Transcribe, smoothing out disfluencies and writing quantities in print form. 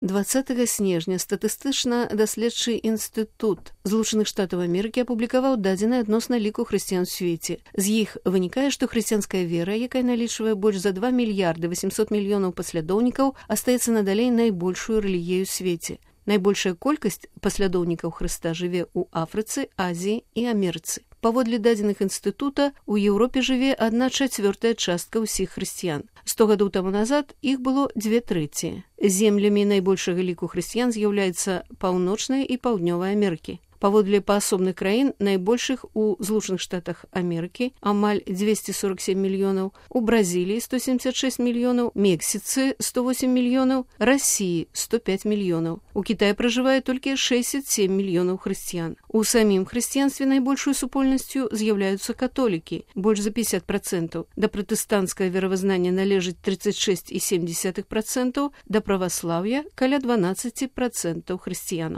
20 снежня статыстычна-даследчы інстытут Злучаных Штатаў Амерыкі апублікаваў дадзеныя адносна ліку хрысціян у свеце. З іх вынікае, што хрысціянская вера, якая налічвае больш за 2 мільярды 800 мільёнаў паслядоўнікаў, астаецца надалей найбольшую рэлігіяй у свеце. Найбольшая колькасць паслядоўнікаў Хрыста жыве ў Афрыцы, Азіі і Амерыцы. Паводле дадзеных інстытута, у Еўропе жыве 1/4 частка ўсіх хрысціян. 100 гадоў таму назад іх было 2/3. Землямі найбольшага ліку хрысціян з'яўляецца Паўночная і Паўднёвая Амерыкі. Паводле паасобных краін найбольшых у Злучаных Штатах Амерыкі амаль 247 мільёнаў, у Бразіліі 176 мільёнаў, Мексіцы 108 мільёнаў, Расіі 105 мільёнаў. У Кітаі пражывае толькі 67 мільёнаў хрысціян. У самім хрысціянстве найбольшую супольнасцю з'яўляюцца католікі, больш за 50%. Да пратэстанцкага веравызнання належыць 36,7%, да праваслаўя каля 12% хрысціянаў.